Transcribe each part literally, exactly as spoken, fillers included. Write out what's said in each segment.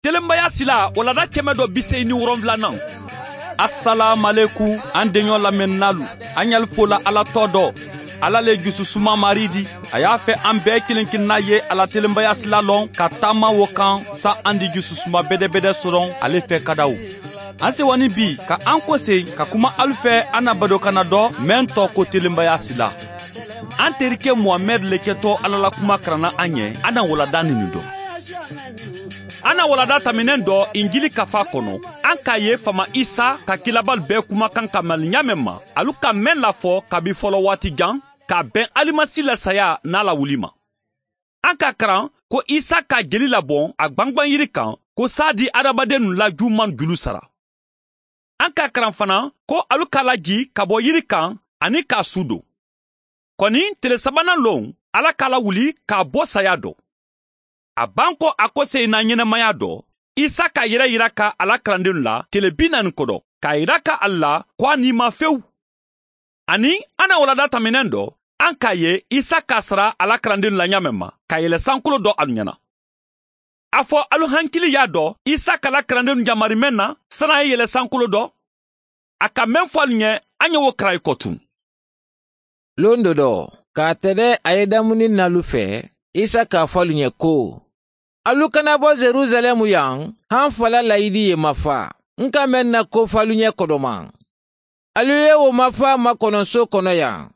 Telenbaya sila walada kɛmɛ dɔ bi seegin ni wolonfilanan. Asalaamaleku an denɲɔ lamɛnnalu, an y'alu fola Ala tɔ dɔ. Ala le jususuma mari di, a y'a fɛ an bɛɛ kelen kelenna ye ala telenbaya sila lɔn ka taama wo kan sa an di jususuma bɛdɛbɛdɛ sɔrɔ ale fɛ kadaw. An sewani bi ka an kɔsen ka kuma alu fɛ an na badokana dɔ mɛn tɔ ko telenbaya sila. An terikɛ Muhamɛd le kɛtɔ Ala la kuma karanna an ɲɛ, an na walada nin dɔn. An na walada taminen dɔ Injili kafa kɔnɔ, an k'a ye fama Isa ka kilabali bɛɛ kumakan ka maliɲa mɛn ma, alu ka mɛn lafɔ kabi fɔlɔ waati jan, k'a bɛn alimasi la saya n'a lawuli ma. An ka karan ko Isa ka jeli labɔn a gwangwan yiri kan, ko sa di adamaden nu la juman julu sara. An ka karan fana ko alu k'a laji ka bɔ yiri kan ani k'a su don. Kɔni tele sabanan lon, Ala k'a lawuli k'a bɔ saya dɔ. A ban ko a ko se na ɲɛnamaya dɔ, Isa k'a yɛrɛ yira ka ala kalandenw la tele bi naani kɔdɔ, k'a yira ka a la ko a ni ma fewu. Ani an na walada taminen dɔ, an k'a ye Isa k'a sara ala kalandenw la ɲa mɛn ma, ka yɛlɛ sankolo dɔ alu ɲɛna. A fɔ alu hankili y'a dɔ, Isa k'ala kalandenw jamari mɛn na, san'a ye yɛlɛ sankolo dɔ. A ka mɛn fɔ alu ɲɛ, an ye wo karan i kɔ tun. Lon dɔ dɔ, k'a tɛdɛ a ye damuni nalu fɛ, Isa k'a fɔ alu ɲɛ ko, alu kana bɔ Jerusalɛmu yan, han fala layidi ye mafa, n ka mɛn na ko fɔ alu ɲɛ kɔdɔma. Alu ye o mafa makɔnɔso kɔnɔ yan.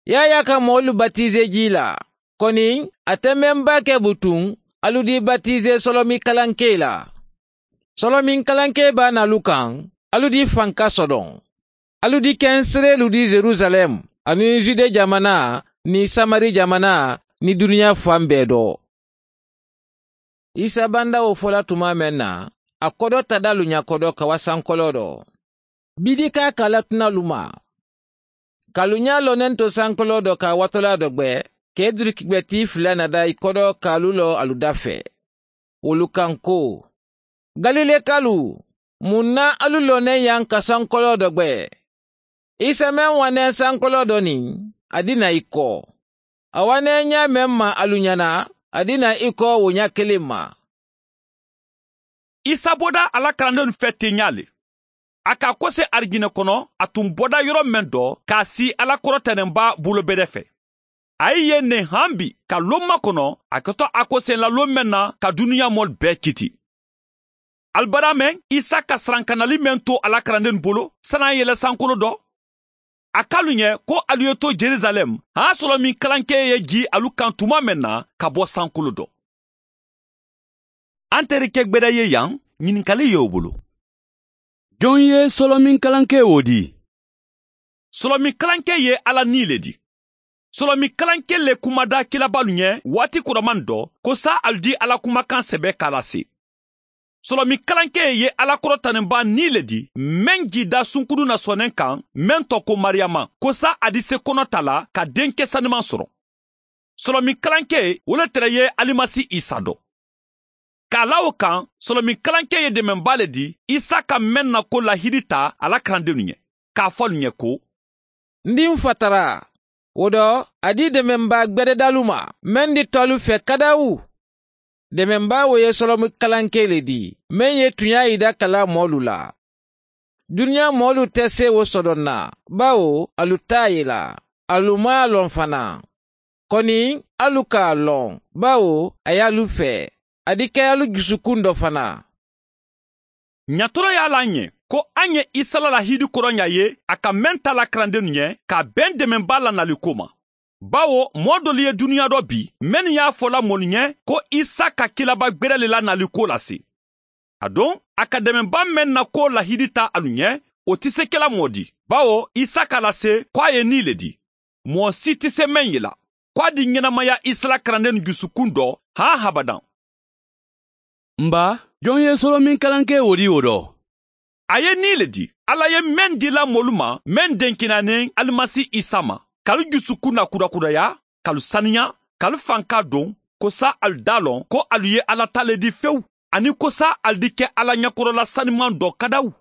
Yaya ka mɔɔlu batize ji la, kɔni a tɛ mɛnba kɛ butun, alu di batize sɔlɔmi kalanke la. Sɔlɔmi kalanke b'a n'alu kan, alu di fanka sɔdɔn. Alu di kɛnsere di Jerusalɛm, ani Jude jamana, ni Samari jamana, ni duniya fan bɛɛ dɔ. Isa banda o fɔla tuma mɛn na, a kɔdɔ tadalu ɲakɔdɔ ka wa sankɔlɔ dɔ. Bidi k'a kala tunalu ma. Kalunya lɔnen to sankɔlɔ dɔ ka watɔla dɔ gbɛ, k'e durukibɛti fila nada i kɔdɔ k'alu lɔ alu da fɛ. Olu kan ko, Galilekalu, mun na alu lɔnen yan ka sankɔlɔ dɔ gbɛ? Isa mɛn wanɛ sankɔlɔ dɔ nin, a di na i kɔ. A wanɛ ɲa mɛn ma alu ɲɛna, a di na i kɔ o ɲa kelen ma. Isa bɔda ala kalandenw fɛ ten ɲa le. A ka kɔse arijinɛ kɔnɔ, a tun bɔda yɔrɔ mɛn dɔ k'a si ala kɔrɔtɛnɛnba bolobɛrɛ fɛ. A ye yen ne han bi ka lon makɔnɔ, a kɛtɔ a kɔsen la lon mɛn na ka duniya mɔli bɛɛ kiti. Alibada mɛn, Isa ka sarankanali mɛn to ala kalanden bolo, san'a yɛlɛ sankolo dɔ. A k'alu ɲɛ ko alu ye to Jerusalɛm, a y'a sɔrɔ min kalankɛ ye ji alu kan tuma mɛn na ka bɔ sankolo dɔ. An terikɛ gbɛdɛ ye yan, ɲininkali y'o bolo. Jɔn ye sɔlɔmin kalankɛ o di? Sɔlɔmin kalankɛ ye Ala ni le di. Sɔlɔmin kalankɛ le kumada kilabalu ɲɛ waati kɔrɔman dɔ, ko sa alu di Ala kumakan sɛbɛ k'a lase. Sɔlɔmin kalankɛ ye Ala kɔrɔtanenba ni le di, mɛn jida sunkuru na sɔnnen kan, mɛn tɔ ko Mariyama, ko sa a di se kɔnɔ ta la ka denkɛ sanuman sɔrɔ. Sɔlɔmin kalankɛ o le tɛrɛ ye Alimasi Isa dɔ. K'a la o kan, sɔlɔmin kalankɛ ye dɛmɛba le di, Isa ka mɛn na ko lahidi ta ala kalandenw ɲɛ, k'a fɔ alu ɲɛ ko, N di n fatara, o dɔ, a di dɛmɛba gbɛdɛdalu ma, mɛn di tɔlu fɛ kadawu. Dɛmɛba o ye sɔlɔmi kalanke le di, mɛn ye tunya yida kala mɔɔlu la. Duniya mɔɔlu tɛ se o sɔdɔn na, bawo alu t'a ye la, alu m'a lɔn fana. Kɔni alu k'a lɔn, bawo a y'alu fɛ, a di kɛ alu dusukun dɔ fana. Ɲatɔrɔ y'a la ɲɛ ko an ye Isa la lahidi kɔrɔ ɲa ye, a ka mɛn ta la kalandenw ɲɛ ka bɛn dɛmɛba lanali ko ma. Bawo mɔɔ dɔlu ye duniya dɔ bi, mɛnnu y'a fɔla mɔlu ɲɛ ko Isa ka kilaba gbɛrɛ le lanali ko lase. A don, a ka dɛmɛba mɛn na ko lahidi ta alu ɲɛ, o tɛ se kɛla mɔɔ di. Bawo Isa k'a lase ko a ye ni le di. Mɔɔ si tɛ se mɛn ye la, ko a di ɲɛnamaya Isa la kalanden dusukun dɔ han habadan. Nba, jɔn ye sɔlɔmin kalankɛ o di o dɔ? A ye ni le di. Ala ye mɛn dila mɔlu ma, mɛn denkinanen Alimasi Isa ma. Kalu dusukun na kurakuraya, kalu saniya, kalu fanka don, ko sa alu da lɔn ko alu ye Ala ta le di fewu, ani ko sa alu di kɛ Ala ɲɛkɔrɔla saniman dɔ kadawu.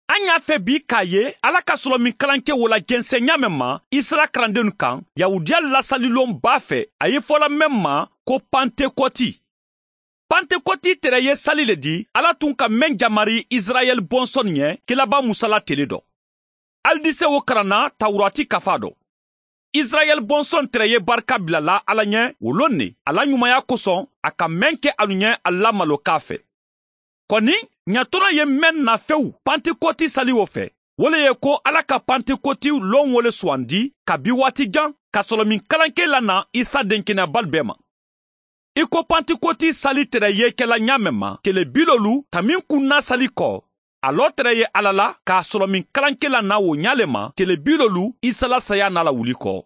An y'a fɛ bi k'a ye Ala ka sɔlɔmin kalankɛ wo la jɛnsɛn ɲa mɛn ma Isira kalandenw kan, Yahudiya lasalilon b'a fɛ, a ye fɔla mɛn ma ko Pantekɔti. Pantekɔti tɛrɛ ye sali le di Ala tun ka mɛn jamari Israɛl bɔnsɔn ɲɛ kelaba Musa la tele dɔ. Alidise wo karanna Tawurati kafa dɔ. Israɛl bɔnsɔn tɛrɛ ye barika bilala Ala ɲɛ o lon ne a la ɲumanya kosɔn a ka mɛn kɛ alu ɲɛ a la malo k'a fɛ. Kɔni ɲatɔnɔ ye mɛn nafɛw Pantekɔti sali o fɛ. O le ye ko Ala ka Pantekɔti lon wole suwandi kabi waati jan ka sɔrɔ min kalanke la na Isa denkɛnɛbali bɛɛ ma. I ko Pantekɔti sali tɛrɛ ye kɛla ɲa mɛn ma tele bilolu ka min kunna sali kɔ a lɔ tɛrɛ ye Ala la k'a sɔrɔ min kalanke la na o ɲa le ma tele bilolu Isa la saya n'a la wuli kɔ.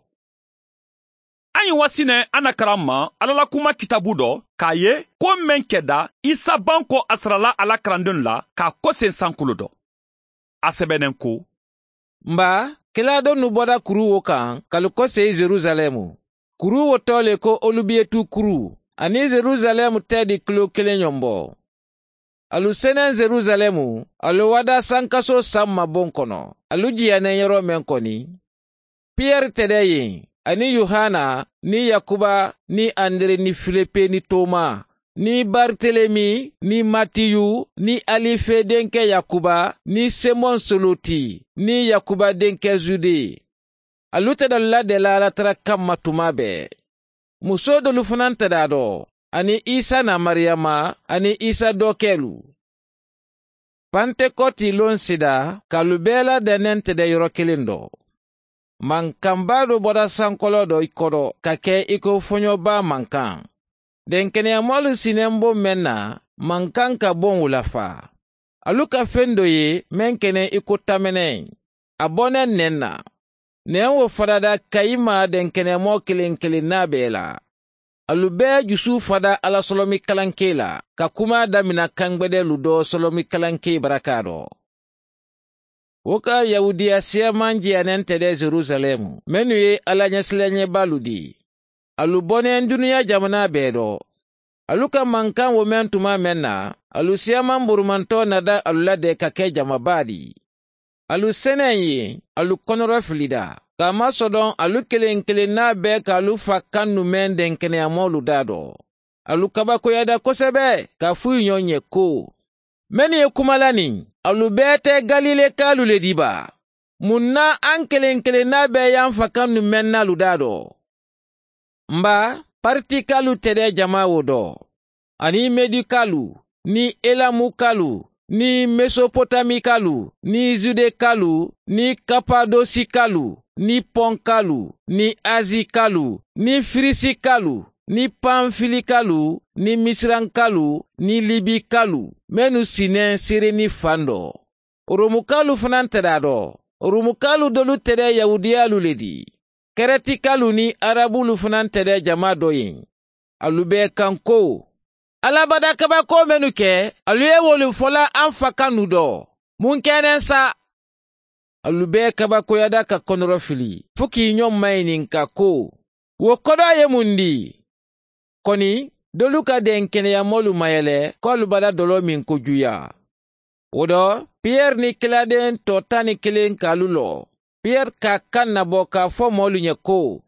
An ye wasinɛ an na karan ma Ala la kuma kitabu dɔ k'a ye ko mɛn kɛda Isa ban kɔ a sarala a la karandenw la k'a kɔsen sankolo dɔ. A sɛbɛnnen ko: Nba kila donu bɔra kuru wo kan k'alu kɔse Jerusalɛmu. Kuru wo tɔ le ko Olubietu kuru ani Jerusalɛmu tɛ di kilo kelen ɲɔgɔn bɔ. Alu senen Jerusalɛmu, alu wada sankaso san mabon kɔnɔ. Alu jiyanen yɔrɔ mɛn kɔni. Pierre tɛdɛ yen, ani Yohana, ni Yakuba, ni Andre ni Filipe ni Toma, ni Bartelemi, ni Matiyu, ni Alife denkɛ Yakuba, ni Simon Soloti, ni Yakuba denkɛ Zude. Alu tɛdɛ ladɛla Ala tara kanma tuma bɛɛ. Muso dolu fana tɛdɛ dɔ, ani Isa na Mariyama, ani Isa dɔkɛlu. Pantekɔti lon sida, k'alu bɛɛ ladɛnnen tɛdɛ yɔrɔ kelen dɔ. Mankanba dɔ bɔra sankɔlɔ dɔ i kɔrɔ ka kɛ i ko fɔɲɔba mankan. Denkɛnɛyamɔlu sinɛn bon mɛn na, mankan ka bon o la fa. Alu ka fɛn dɔ ye mɛn kɛnɛ i ko tamɛnɛ. A bɔnɛ nɛn na. Nɛn wo farada kayi ma denkɛnɛmɔ kelen kelen n'a bɛɛ la. Alu bɛɛ jusu fada Ala sɔlɔmi kalanke la, ka kuma damina kangbɛdɛlu dɔ sɔlɔmi kalanke baraka dɔ. O ka Yahudiya siyaman jiyanen tɛ dɛ Jerusalɛmu, minnu ye Ala ɲɛsiranɲɛbalu di. Alu bɔnɛ dunuya jamana bɛɛ dɔ. Alu ka mankan wo mɛn tuma mɛn na, alu siyaman burumantɔ nada alu la dɛ ka kɛ jamaba di. Alu sɛnɛ ye, alu kɔnɔrɔ filida. K'a masɔdɔn alu kelen kelen n'a bɛɛ k'alu fa kan nu mɛn denkɛnɛyamɔlu da dɔ. Alu kabakoyada kosɛbɛ k'a f'u ɲɔgɔn ɲɛ ko: Mɛnnu ye kuma la nin, alu bɛɛ tɛ Galile kalu le di ba? Mun na an kelen kelen n'a bɛɛ y'an fa kan nu mɛn n'alu da dɔ? Nba Partikalu tɛ dɛ jama wo dɔ, ani Medikalu, ni Elamukalu, ni Mesopotamikalu, ni Judekalu, ni Kapadosikalu, ni Pɔnkalu, ni Azikalu, ni Firisikalu, ni Panfilikalu, ni Misirankalu, ni Libikalu, minnu sinnen Sireni fan dɔ. Oromukalu fana tɛ a dɔ. Oromukalu dolu tɛ dɛ Yahudiyalu le di. Kɛrɛtikalu ni Arabulu fana tɛ dɛ jama dɔ ye. Alu bɛɛ kan ko: Alabada kabako minnu kɛ, alu ye wolu fɔla an fa kan nu dɔ. Mun kɛnɛ sa? Alu bɛɛ kabakoyada ka kɔnɔrɔ fili, fo k'i ɲɔgɔn maɲininka ko: Wo kɔdɔ ye mun di? Kɔni, dolu ka denkɛnɛyamɔlu mayɛlɛ k'alu bada dɔlɔ min kojuya. O dɔ, Pierre ni kiladen tɔ tan ni kelen k'alu lɔ. Pierre ka kan nabɔ k'a fɔ mɔlu ɲɛ ko: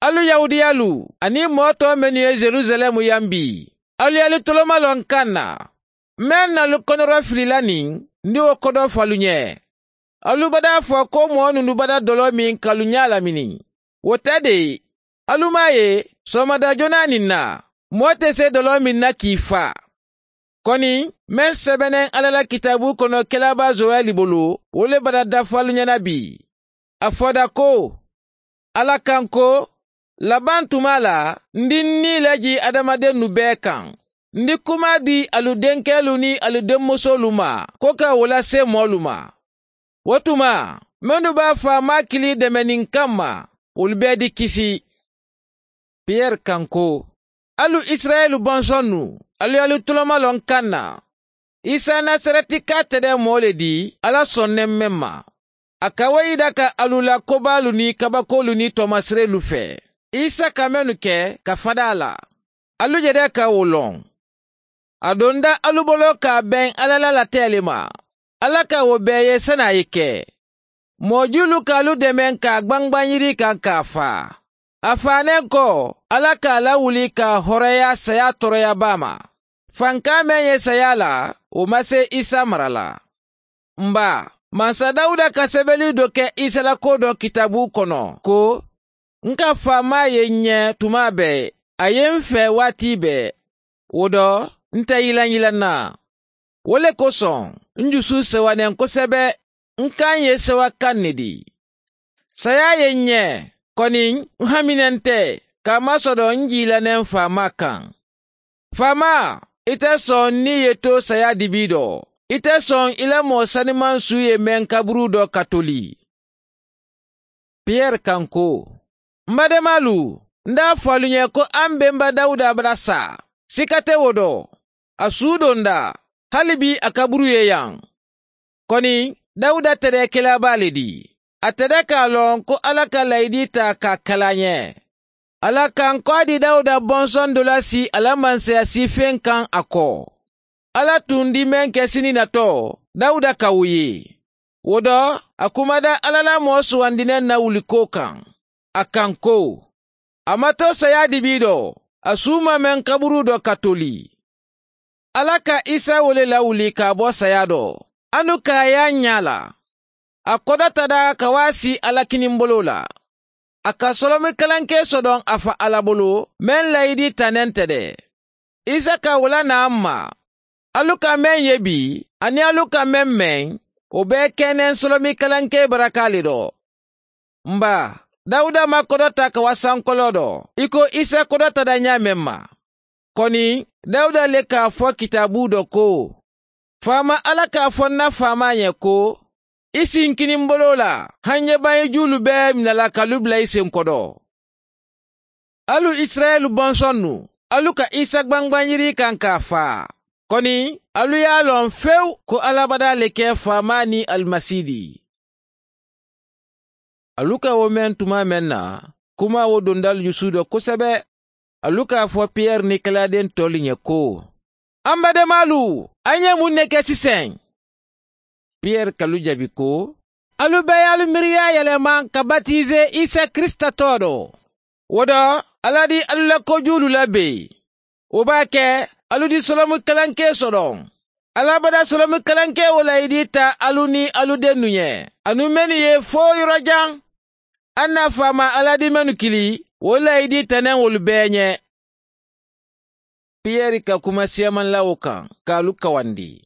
Alu Yahudiyalu, ani mɔɔ tɔ minnu ye Jerusalɛmu yan bi, alu y'alu toloma lɔ n kan na. Mɛn n'alu kɔnɔrɔ filila nin, n di o kɔdɔ f'alu ɲɛ. Alu bada fɔ ko mɔɔ nunu bada dɔlɔ min k'alu ɲɛ lamini. O tɛ de, alu m'a ye sɔgɔmada joona nin na, mɔɔ tɛ se dɔlɔ min na k'i fa. Kɔni, mɛn sɛbɛnnen Ala la kitabu kɔnɔ kɛlaba Zoɛli bolo, o le bada dafa alu ɲɛna bi. A fɔda ko: Ala kan ko, laban tuma la, n di ni laji adamaden nu bɛɛ kan. N di kuma di alu denkɛlu ni alu denmusolu ma, ko ka o lase mɔɔlu ma. O tuma, minnu b'a fɔ a ma kili dɛmɛni kama, olu bɛɛ di kisi. Pierre kan ko: Alu Israɛlu bɔnsɔn nu, alu y'alu tuloma lɔ n kan na. Isa Nasarɛti ka tɛ dɛ mɔɔ le di, Ala sɔnnen mɛn ma. A ka wayida ka alu la kobalu ni kabakolu ni tɔmasirelu fɛ. Isa ka mɛnnu kɛ ka fada a la. Alu yɛrɛ ka o lɔn. A donda alu bolo k'a bɛn Ala la latɛli ma. Ala ka o bɛɛ ye san'a ye kɛ. Mɔjulu k'alu dɛmɛ k'a gbangban yiri kan k'a fa. A fanen kɔ, Ala k'a lawuli k'a hɔrɔnya saya tɔɔrɔyaba ma. Fanka mɛn ye saya la, o ma se Isa mara la. Nba, Mansa Dawuda ka sɛbɛnni dɔ kɛ Isa la ko dɔ kitabu kɔnɔ ko n ka faama ye n ɲɛ tuma bɛɛ, a ye n fɛ waati bɛɛ. O dɔ, n tɛ yilanyilan na. O le kosɔn, n dusu sewanen kosɛbɛ, n kan ye sewakan ne di. Saya ye n ɲɛ, kɔni n haminen tɛ, k'a masɔrɔ n jilanen faama kan. Faama, i tɛ sɔn ni ye to saya dibi dɔ. I tɛ sɔn i la mɔgɔ saniman su ye mɛn kaburu dɔ ka toli. Pierre kan ko, n badenmalu, n t'a fɔ alu ɲɛ ko an benba Dawuda bara sa. Sika tɛ o dɔ. A su donda, hali bi a kaburu ye yan. Kɔni, Dawuda tɛrɛ kelaba le di. A tɛrɛ k'a lɔn ko Ala ka layidi ta k'a kalan ɲɛ. Ala kan kɔ di Dawuda bɔnsɔn dɔ la si ala mansaya si fɛn kan a kɔ. Ala tun di mɛn kɛ sini natɔ, Dawuda ka o ye. O dɔ, a kumada Ala la mɔgɔ sugandinɛ na wuli ko kan. A kan ko, a ma to saya dibi dɔ, a su ma mɛn kaburu dɔ ka toli. Ala ka Isa wele lawuli k'a bɔ saya dɔ, anu k'a y'a ɲa la. A kɔdɔ ka waa si Ala kinibolo la. A ka sɔlɔmi kalanke sɔdɔn a fa Ala bolo, mɛn layidi tanen tɛ dɛ. Isa ka wula n'an ma. Alu ka mɛn ye bi, ani alu ka mɛn mɛn, o bɛɛ kɛnɛ sɔlɔmi kalanke baraka le dɔ. Nba, Dawuda ma kɔdɔ ta ka wa sankɔlɔ dɔ, i ko Isa kɔdɔ ta da ɲa mɛn ma. Kɔni, Dawuda le k'a fɔ kitabu dɔ ko, faama Ala k'a fɔ n na faama ɲɛ ko, i sin kinibolo la, hanɲɛban julu bɛɛ minɛla k'alu bila i sen kɔdɔ. Alu Israɛlu bɔnsɔn nu, alu ka Isa gbangban kan k'a fa. Kɔni, alu y'a lɔn fewu ko Ala bada le kɛ faama ni alimasi di. Alu ka o mɛn tuma mɛn na, kuma o dondal jusu dɔ kosɛbɛ. Alu k'a fɔ Pierre ni kaladen tɔlu ɲɛ ko, an badenmalu, an ye mun ne kɛ sisan? Pierre kalu jaabi ko, alu bɛɛ y'alu miiriya yɛlɛma ka batize Isa Krista tɔgɔ dɔ. O dɔ, Ala di alu la kojulu labɛn. O b'a kɛ alu di sɔlɔmu kalanke sɔrɔ. Ala bada sɔlɔmu kalanke o layidi ta alu ni alu dennu ɲɛ. Anu mɛnu ye fo yɔrɔ jan. An na faama Ala di mɛnu kili, o layidi tɛnɛn olu bɛɛ ɲɛ. Pierre ka kuma siyaman la o kan, k'alu kawandi.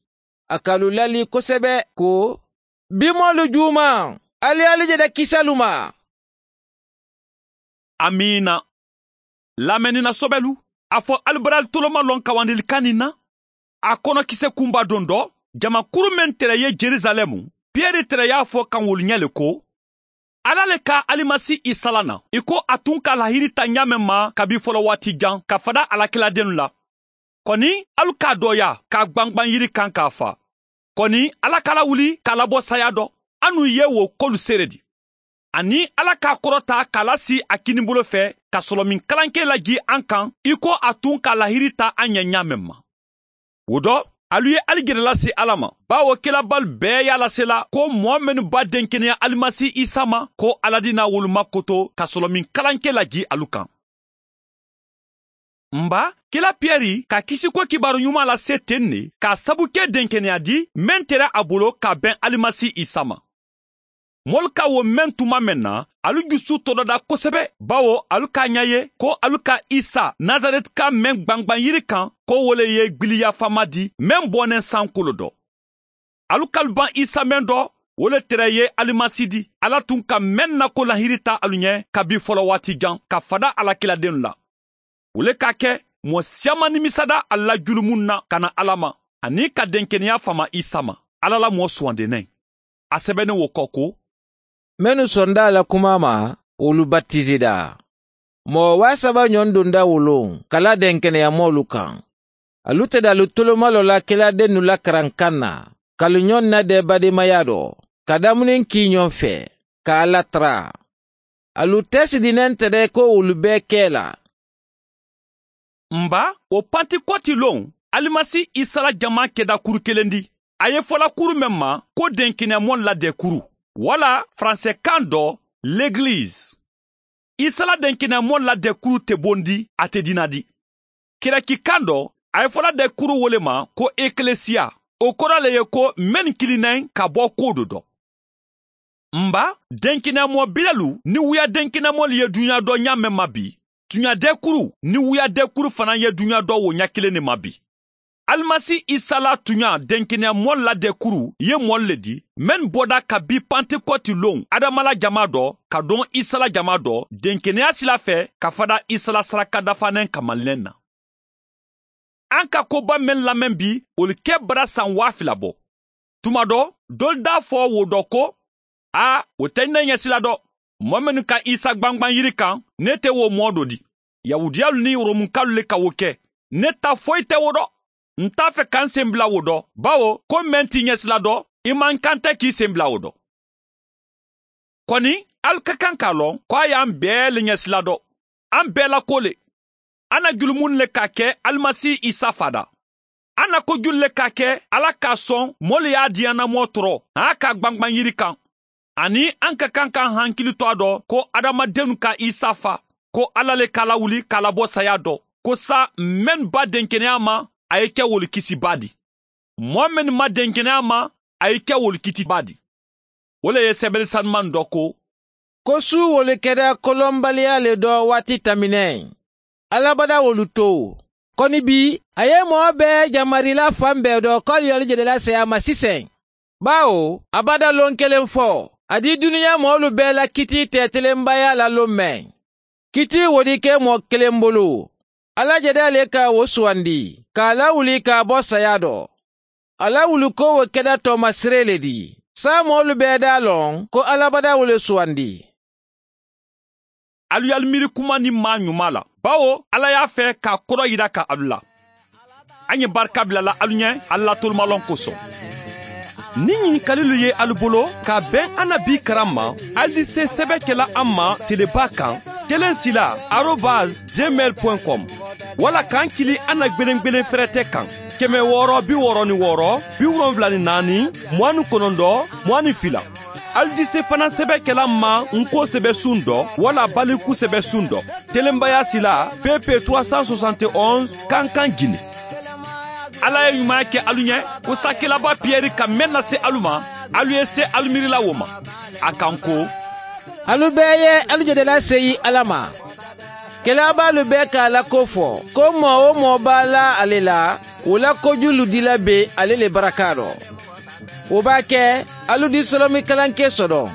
A k'alu lali kosɛbɛ ko, bimɔlu juuma, ali alu jɛda kisalu ma. Amina. Lamɛnni sɔbɛlu, a fɔ alibaral toloma lɔn kawandilikan nin na. A kɔnɔ kisɛ kunba don dɔ, jamakuru min tɛrɛ ye Jerusalɛmu, Pierre tɛrɛ y'a fɔ kan wolu ɲɛ le ko, Ala le ka alimasi Isa la na, i ko a tun ka lahiri ta ɲa mɛn ma kabi fɔlɔ waati jan ka fada alakiladennu la. Kɔni, alu k'a dɔya k'a gbangban yiri kan k'a fa. Kɔni, Ala k'a lawuli k'a labɔ saya dɔ, anu ye wo kolu seere di. Ani Ala k'a kɔrɔta k'a lasi a kinibolo fɛ ka sɔlɔmin kalanke laji an kan, i ko a tun ka lahiri ta an ɲɛ ɲa mɛn ma. O dɔ, alu ye ali gɛrɛ lase Ala ma, bawo kelabali bɛɛ y'a lasela ko mɔɔ minnu ba denkɛnɛya alimasi Isa ma, ko Ala di n'a woloma koto ka sɔlɔmin kalanke laji alu kan. Nba, kela Pierre ka kisiko kibaru ɲuman lase ten ne k'a sabu kɛ denkɛnɛya di mɛn tɛrɛ a bolo ka bɛn alimasi Isa ma. Mɔlu ka wo mɛn tuma mɛn na, alu jusu tɔdɔda kosɛbɛ, bawo alu k'a ɲɛ ye ko alu ka Isa Nazareti ka mɛn gbangban yiri kan, ko wole ye gbiliya fama di mɛn bɔnɛ sankolo dɔ. Alu kalu ban Isa mɛn dɔ, wole tɛrɛ ye alimasi di. Ala tun ka mɛn na ko lahiri ta alu ɲɛ kabi fɔlɔ waati jan ka fada alakiladenw la. Wole k'a kɛ mɔɔ siyaman nimisada a la julumun na ka na Ala ma, ani ka denkɛnɛya fama Isa ma, Ala la mɔɔ sugandenen. A sɛbɛnnen wo kɔ ko, Mɛnu sɔnda la kuma ma, olu batizida. Mɔgɔ waa saba ɲɔgɔn donda wolon, kala denkɛnɛya mɔlu kan. Alu tɛ dalu toloma lɔ la keladennu la karankan na, kalu ɲɔgɔn na dɛ bademaya dɔ, ka damuni k'i ɲɔgɔn fɛ, k'a latara. Alu tɛ sidinɛn tɛ dɛ ko olu bɛɛ kɛ la. Nba, o Pantikɔti lon, alimasi Isa la jama kɛda kuru kelen di. A ye fɔla kuru mɛn ma ko denkɛnɛyamɔ ladɛkuru, wala faransɛkan dɔ l'église. Isa la denkɛnɛyamɔ ladɛkuru tɛ bondi, a tɛ dina di. Kɛrɛkikan dɔ, A ye fɔla dɛkuru wo le ma ko eklesiya. O kɔrɔ le ye ko mɛn kilinnen ka bɔ ko do dɔ. Nba denkinɛmɔ bilalu ni wuya denkinɛmɔlu ye dunya dɔ ɲa mɛn ma bi, tunya dɛkuru ni wuya dɛkuru fana ye dunya dɔ wo ɲa kelen de ma bi. Alimasi Isa la tunya denkinɛmɔlu la dɛkuru ye mɔlu le di, mɛn bɔda ka bi Pantekɔti lon Adama la jama dɔ ka don Isa la jama dɔ denkɛnɛya sila fɛ ka fada Isa la saraka dafanen kamalinen na. An ka koba mɛn lamɛn bi, olu kɛ bara san waa fila bɔ. Tuma dɔ, dɔlu d'a fɔ wo dɔ ko, a o tɛ ne ɲɛsila dɔ. Mɔɔ minnu ka Isa gbangban yiri kan, ne tɛ wo mɔɔ dɔ di. Yahudiyalu ni Romukalu le ka wo kɛ. Ne ta foyi tɛ wo dɔ. N t'a fɛ k'an sen bila wo dɔ, bawo ko mɛn t'i ɲɛsila dɔ, i man kan tɛ k'i sen bila wo dɔ. Kɔni, alu ka kan k'a lɔn ko a y'an bɛɛ le ɲɛsila dɔ. An bɛɛ la ko le. An na julumun le k'a kɛ Alimasi Isa fada. An na kojulu le k'a kɛ Ala k'a sɔn mɔlu y'a diyanamɔ tɔrɔ, an k'a gbangban yiri kan. Ani an ka kan k'an hankili to a dɔ ko adamadenw ka Isa fa, ko Ala le k'a lawuli k'a labɔ saya dɔ, ko sa mɛn ba denkɛnɛya ma, a ye kɛ wolu kisiba di. Mɔɔ min ma denkɛnɛya ma, a ye kɛ wolu kitiba di. O le ye sɛbɛnni sanuman dɔ ko, ko su wolu kɛra kolɔnbaliya le dɔ waati taminɛ. Alabada wolu to. Kɔni bi, a ye mɔɔ bɛɛ jamarila fan bɛɛ dɔ k'alu y'alu jɛdɛla saya ma sisan. Bawo, a bada lon kelen fɔ, a di duniya mɔɔlu bɛɛ la kiti tɛɛtelenbaya la lon mɛn. Kiti wodi kɛ mɔɔ kelen bolo. Ala jɛdɛ le ka wo suwandi, k'a lawuli k'a bɔ saya dɔ. A lawuli ko wo kɛda tɔɔmasere le di. Sa mɔɔlu bɛɛ d'a lɔn ko alabada wo le suwandi. Alu y'alu miiri kuma ni maa ɲuman la, bawo Ala y'a fɛ k'a kɔrɔ yira ka alu la. An ye barika bilala alu ɲɛ alu la tolomalɔn kosɔn. Ni ɲininkalilu ye alu bolo ka bɛn an na bi karan ma, alu di se sɛbɛn kɛla an ma teleba kan kelen sila arobase gmail point com wala k'an kili an na gbelengbelen fɛrɛtɛ kan kɛmɛ wɔɔrɔ bi wɔɔrɔ ni wɔɔrɔ bi wolonfila ni naani mugan ni kɔnɔntɔn mugan ni fila. Alu di se fana sɛbɛn kɛla ma nko sɛbɛ sun dɔ wala baliku sɛbɛ sun dɔ telenbaya sila P P trois cent soixante et onze Kankan Guinée. Ala ye ɲuman kɛ alu ɲɛ ko sakelaba Piyɛri ka mɛn lase alu ma, alu ye se alu miirila wo ma. A kan ko, alu bɛɛ ye alu jɛdɛla seyi Ala ma. Kɛlɛ b'alu bɛɛ k'a la ko fɔ, ko mɔɔ o mɔɔ b'a la ale la, o la kojulu dila be ale le baraka dɔ. O b'a kɛ alu di sɔlɔmi kalanke sɔrɔ.